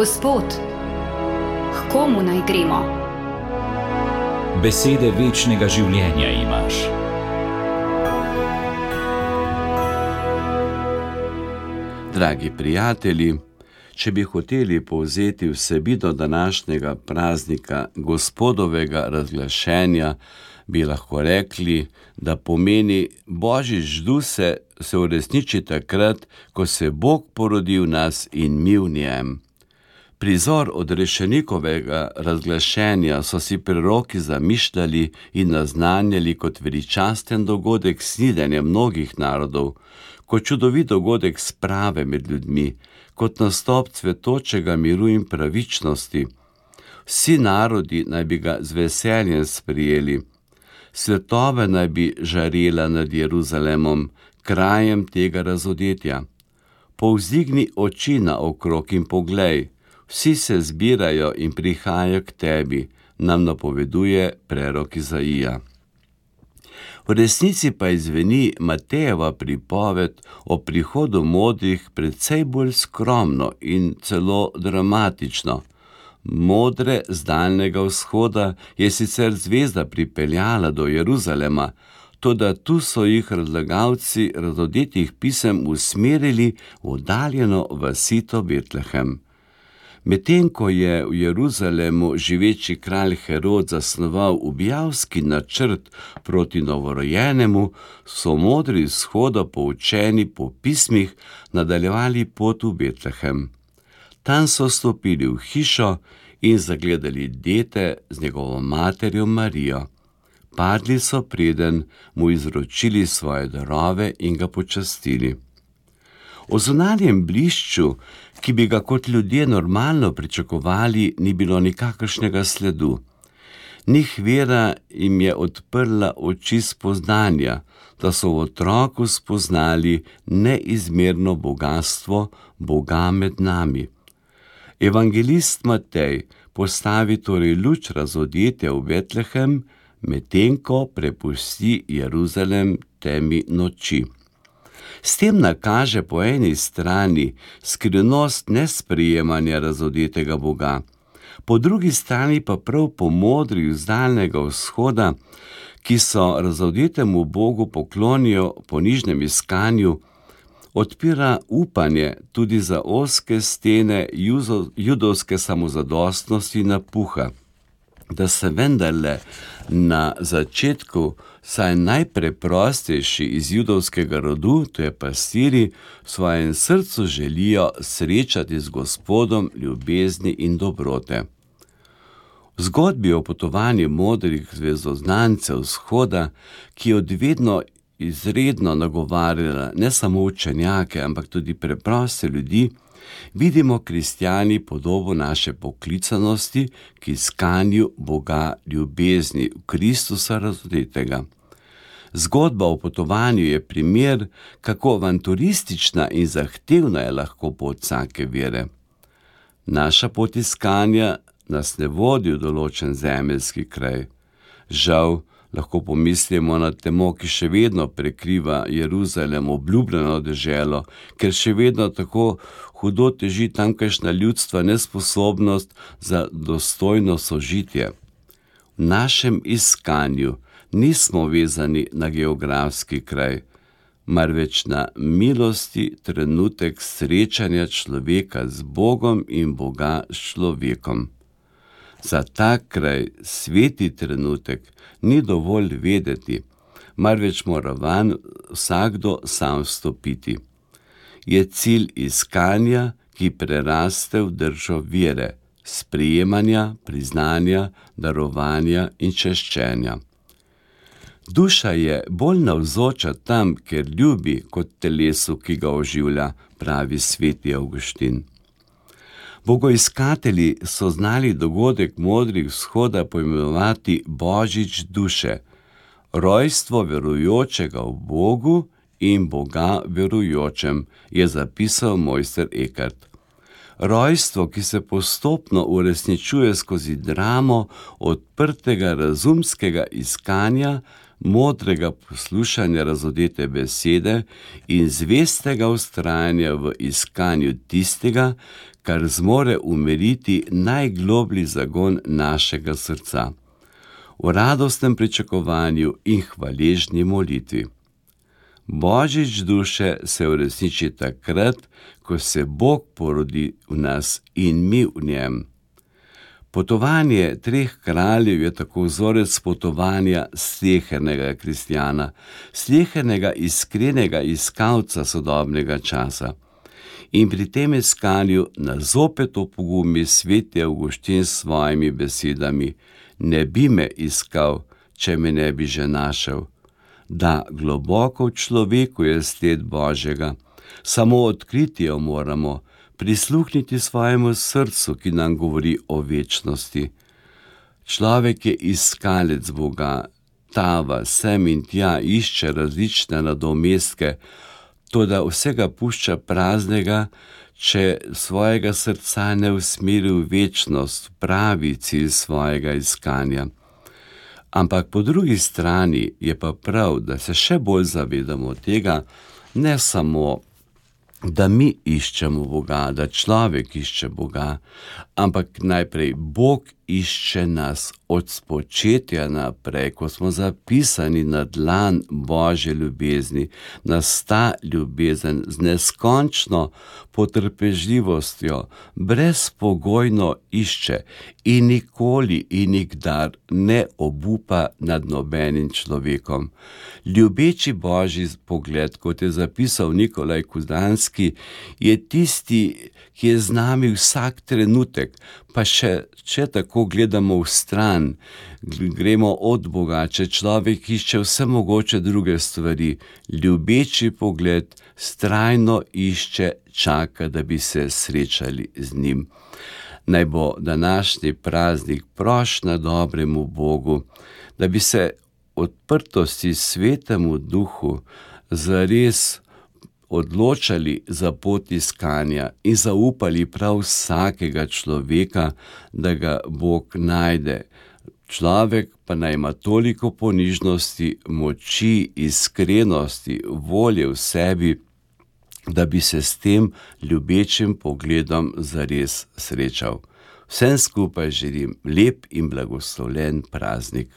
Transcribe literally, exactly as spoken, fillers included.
Gospod, k komu naj gremo? Besede večnega življenja imaš. Dragi prijatelji, če bi hoteli povzeti vsebino današnjega praznika Gospodovega razglašenja, bi lahko rekli, da pomeni Božič duse se uresniči takrat, ko se Bog porodi v nas in mi v njem. Prizor odrešenikovega razglašenja so si preroki zamišljali in naznanjali kot veličasten dogodek snidenja mnogih narodov, kot čudovit dogodek sprave med ljudmi, kot nastop cvetočega miru in pravičnosti. Vsi narodi naj bi ga z veseljem sprijeli. Svetova naj bi žarela nad Jeruzalemom, krajem tega razodetja. Povzdigni oči naokrog in poglej, vsi se zbirajo in prihajajo k tebi, nam napoveduje prerok Izaija. V resnici pa izveni Matejeva pripoved o prihodu modrih precej bolj skromno in celo dramatično. Modre z daljnega vzhoda je sicer zvezda pripeljala do Jeruzalema, toda tu so jih razlagalci razodetih pisem usmerili v oddaljeno vasito Betlehem. Medtem ko je v Jeruzalemu živeči kralj Herod zasnoval ubijalski načrt proti novorojenemu, so modri vzhoda poučeni po pismih nadaljevali pot v Betlehem. Tam so stopili v hišo in zagledali dete z njegovo materjo Marijo. Padli so preden mu izročili svoje darove in ga počastili. O zunanjem blišču, ki bi ga kot ljudje normalno pričakovali, ni bilo nikakršnega sledu. Njih vera jim je odprla oči spoznanja, da so v otroku spoznali neizmerno bogastvo Boga med nami. Evangelist Matej postavi torej luč razodetja v Betlehem, medtem ko prepusti Jeruzalem temi noči. S tem nakaže po eni strani skrivnost nesprijemanja razodetega Boga, po drugi strani pa prav po modrih z daljnega vzhoda, ki so razodetemu Bogu poklonijo po nižnem iskanju, odpira upanje tudi za ozke stene judovske samozadostnosti napuha, da se vendarle na začetku saj najpreprostejši iz judovskega rodu, to je pastiri, v svojem srcu želijo srečati z Gospodom ljubezni in dobrote. V zgodbi o potovanju modrih zvezdoznancev vzhoda, ki je odvedno izredno nagovarjala ne samo učenjake, ampak tudi preproste ljudi, vidimo kristjani podobo naše poklicanosti k iskanju Boga ljubezni v Kristusa razodetega. Zgodba o potovanju je primer, kako avanturistična in zahtevna je lahko pot vsake vere. Naša pot iskanja nas ne vodi v določen zemeljski kraj. Žal, lahko pomislimo na temo, ki še vedno prekriva Jeruzalem, obljubljeno deželo, ker še vedno tako hudo teži tamkajšnja ljudstva nesposobnost za dostojno sožitje. V našem iskanju nismo vezani na geografski kraj, marveč na milosti trenutek srečanja človeka z Bogom in Boga s človekom. Za ta kraj, sveti trenutek, ni dovolj vedeti, marveč mora vanj vsakdo sam vstopiti. Je cilj iskanja, ki preraste v držo vere, sprejemanja, priznanja, darovanja in češčenja. Duša je bolj navzoča tam, ker ljubi, kot telesu, ki ga oživlja, pravi sveti Avguštin. Bogoiskatelji so znali dogodek modrih vzhoda poimenovati Božič duše, rojstvo verujočega v Bogu in Boga verujočem, je zapisal mojster Eckhart. Rojstvo, ki se postopno uresničuje skozi dramo odprtega razumskega iskanja modrega poslušanja razodete besede in zvestega vztrajanja v iskanju tistega, kar zmore umiriti najgloblji zagon našega srca, v radostnem pričakovanju in hvaležni molitvi. Božič duše se uresniči takrat, ko se Bog porodi v nas in mi v njem. Potovanje treh kraljev je tako vzorec potovanja slehernega kristjana, slehernega iskrenega iskalca sodobnega časa. In pri tem iskanju nas zopet opogumi sveti Avguštin s svojimi besedami: ne bi me iskal, če me ne bi že našel. Da, globoko v človeku je sled Božjega, samo odkriti jo moramo, prisluhniti svojemu srcu, ki nam govori o večnosti. Človek je iskalec Boga, tava sem in tja, išče različne nadomestke, toda vsega pušča praznega, če svojega srca ne usmeri v večnost, pravi cilj svojega iskanja. Ampak po drugi strani je pa prav, da se še bolj zavedamo tega, ne samo, da mi iščemo Boga, da človek išče Boga, ampak najprej Bog išče nas od spočetja naprej, ko smo zapisani na dlan Božje ljubezni, nas ta ljubezen z neskončno potrpežljivostjo brezpogojno išče in nikoli in nikdar ne obupa nad nobenim človekom. Ljubeči Božji pogled, kot je zapisal Nikolaj Kudanski, je tisti, ki je z nami vsak trenutek, pa še, če tako gledamo v stran, gremo od Boga, če človek išče vse mogoče druge stvari, ljubeči pogled vztrajno išče, čaka, da bi se srečali z njim. Naj bo današnji praznik prošnja dobremu Bogu, da bi se odprtosti svetemu duhu zares odločali za pot iskanja in zaupali prav vsakega človeka, da ga Bog najde. Človek pa naj ima toliko ponižnosti, moči, iskrenosti, volje v sebi, da bi se s tem ljubečim pogledom zares srečal. Vsem skupaj želim lep in blagoslovljen praznik.